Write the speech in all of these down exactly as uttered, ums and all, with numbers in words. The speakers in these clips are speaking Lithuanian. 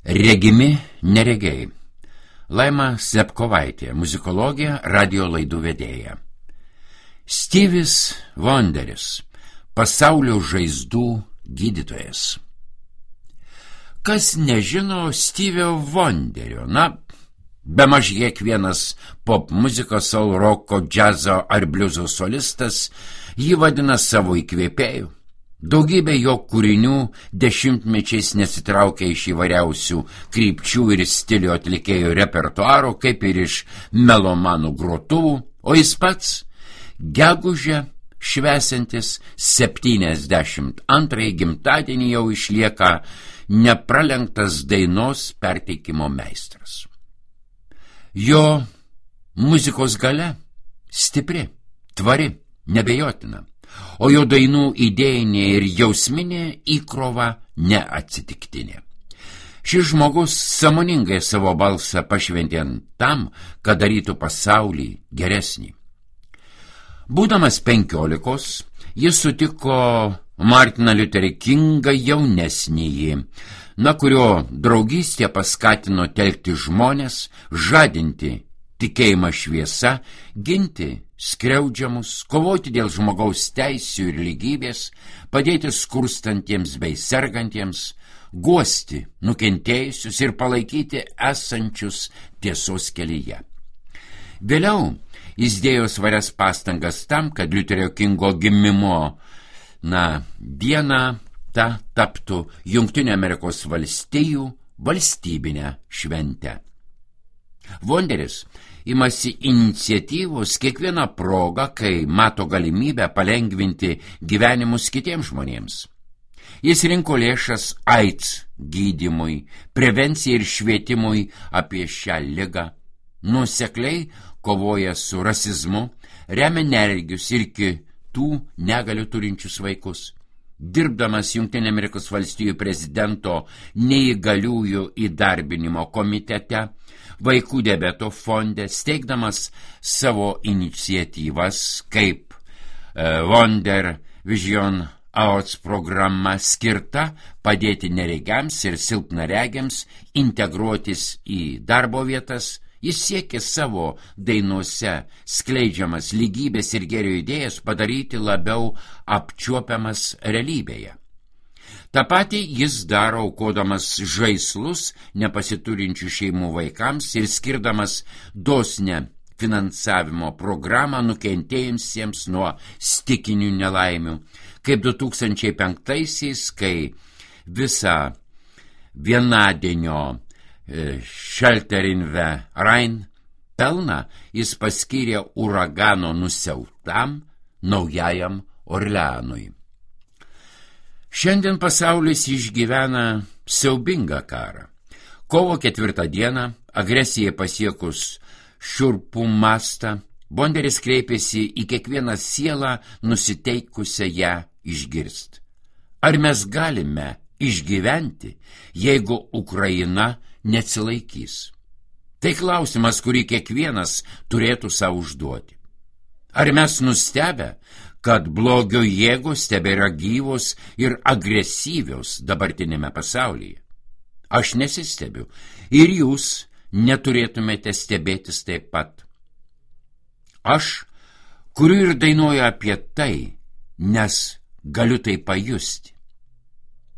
Regimi neregiai. Laima Slepkovaitė, muzikologė, radio laidų vedėja. Stevis Wonderis, pasaulio žaizdų gydytojas. Kas nežino Stevio Wonderio? Na, bemaž kiekvienas pop muzikos, soul, roko, džiazo ar bliuzo solistas jį vadina savo įkvėpėju. Daugybė jo kūrinių dešimtmečiais nesitraukia iš įvairiausių krypčių ir stilių atlikėjų repertuaro, kaip ir iš melomanų grotuvų, o jis pats gegužę švęsiantis septyniasdešimt antrąjį gimtadienį jau išlieka nepralenktas dainos perteikimo meistras. Jo muzikos galia stipri, tvari, nebejotina, o jo dainų idėjinė ir jausminė įkrova neatsitiktinė. Šis žmogus sąmoningai savo balsą pašventė tam, kad darytų pasaulį geresnį. Būdamas penkiolikos, jis sutiko Martiną Liuterį Kingą jaunesnįjį, na kurio draugystė paskatino telkti žmones, žadinti tikėjimą šviesa, ginti skriaudžiamus, kovoti dėl žmogaus teisių ir lygybės, padėti skurstantiems bei sergantiems, guosti nukentėjusius ir palaikyti esančius tiesos kelyje. Vėliau jis dėjo svarias pastangas tam, kad Liuterio Kingo gimimo na, diena ta taptų Jungtinių Amerikos valstijų valstybinę šventę. Wonderis imasi iniciatyvos kiekvieną progą, kai mato galimybę palengvinti gyvenimus kitiems žmonėms. Jis rinko lėšas AIDS gydymui, prevencijai ir švietimui apie šią ligą, nuosekliai kovoja su rasizmu, remia neregius ir kitų negalių turinčius vaikus. Dirbdamas Jungtinių Amerikos valstijų prezidento neįgaliųjų įdarbinimo komitete, vaikų diabeto fonde, steigdamas savo iniciatyvas kaip uh, Wonder Vision Awards programa skirta padėti neregiams ir silpnaregiams integruotis į darbo vietas, jis siekė savo dainuose skleidžiamas lygybės ir gėrio idėjas padaryti labiau apčiuopiamas realybėje. Ta patį jis daro aukodamas žaislus nepasiturinčių šeimų vaikams ir skirdamas dosnią finansavimo programą nukentėjusiems nuo stichinių nelaimių, kaip du tūkstančiai penktaisiais, kai visą vienadienio Shelter in the Rhine pelną jis paskyrė uragano nusiaubtam naujajam Orleanui. Šiandien pasaulis išgyvena siaubingą karą. Kovo ketvirtą dieną, agresijai pasiekus šiurpų mastą, Wonderis kreipėsi į kiekvieną sielą nusiteikusią ją išgirst. Ar mes galime išgyventi, jeigu Ukraina neatsilaikys? Tai klausimas, kurį kiekvienas turėtų savo užduoti. Ar mes nustebę, kad blogio jėgos tebėra gyvos ir agresyvios dabartinėme pasaulyje? Aš nesistebiu ir jūs neturėtumėte stebėtis taip pat. Aš kuriu ir dainuoju apie tai, nes galiu tai pajusti.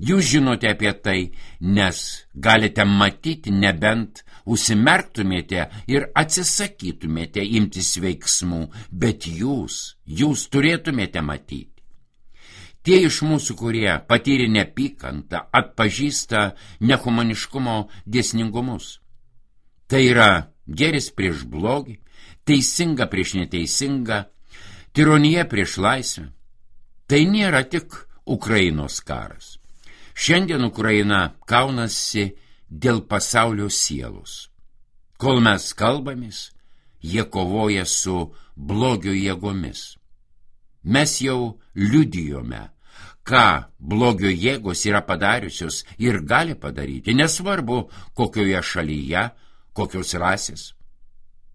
Jūs žinote apie tai, nes galite matyti, nebent užsimerktumėte ir atsisakytumėte imtis veiksmų, bet jūs, jūs turėtumėte matyti. Tie iš mūsų, kurie patyrė neapykantą, atpažįsta nehumaniškumo dėsningumus. Tai yra gėris prieš blogį, teisinga prieš neteisingą, tironija prieš laisvę. Tai nėra tik Ukrainos karas. Šiandien Ukraina kaunasi dėl pasaulio sielos. Kol mes kalbamės, jie kovoja su blogio jėgomis. Mes jau liudijome, ką blogio jėgos yra padariusios ir gali padaryti, nesvarbu kokioje šalyje, kokios rasės.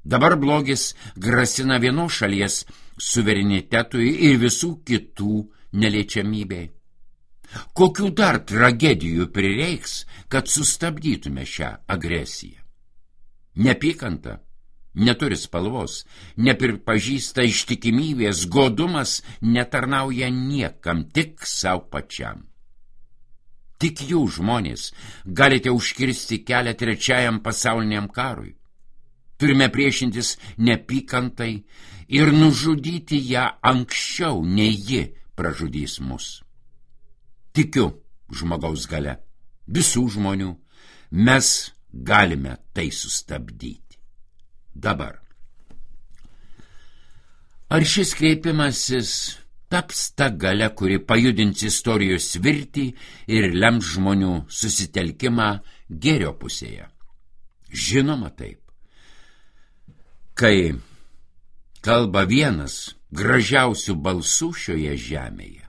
Dabar blogis grasina vienos šalies suverenitetui ir visų kitų neliečiamybei. Kokių dar tragedijų prireiks, kad sustabdytume šią agresiją? Nepykanta neturi spalvos, nepripažįsta ištikimybės, godumas netarnauja niekam, tik savo pačiam. Tik jūs, žmonės, galite užkirsti kelią trečiajam pasauliniam karui. Turime priešintis nepykantai ir nužudyti ją anksčiau, nei ji pražudys mus. Tikiu žmogaus galia, visų žmonių, mes galime tai sustabdyti. Dabar. Ar šis kreipimasis taps ta galia, kuri pajudins istorijos virtį ir lems žmonių susitelkimą gėrio pusėje? Žinoma taip. Kai kalba vienas gražiausių balsų šioje žemėje,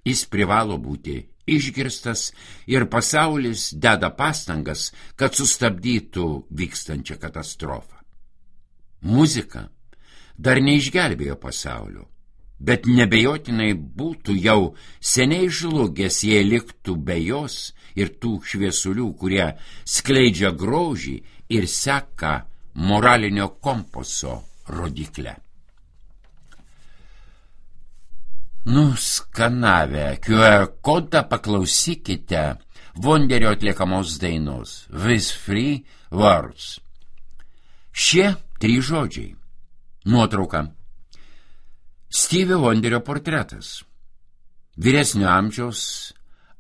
jis privalo būti išgirstas ir pasaulis deda pastangas, kad sustabdytų vykstančią katastrofą. Muzika dar neišgelbėjo pasaulio, bet nebejotinai būtų jau seniai žlugęs, jei liktų be jos ir tų šviesulių, kurie skleidžia grožį ir seka moralinio kompaso rodiklę. Nuskanavę Q R kodą paklausykite Vonderio atliekamos dainos With Free Words. Šie trys žodžiai. Nuotrauka. Stevie Wonderio portretas. Vyresnio amžiaus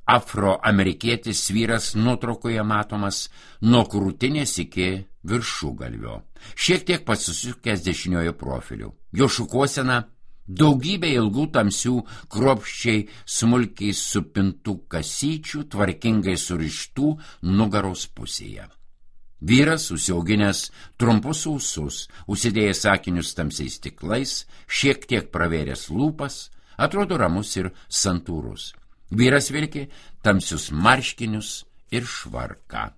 afroamerikietis vyras nuotraukoje matomas nuo krūtinės iki viršugalvio, šiek tiek pasisukęs dešiniojo profiliu. Jo šukuosena daugybė ilgų tamsių, kruopščiai smulkiai supintų kasyčių, tvarkingai surištų nugaros pusėje. Vyras, užsiauginęs trumpus ūsus, užsidėjęs akinius tamsiais stiklais, šiek tiek pravėręs lūpas, atrodo ramus ir santūrus. Vyras vilki tamsius marškinius ir švarką.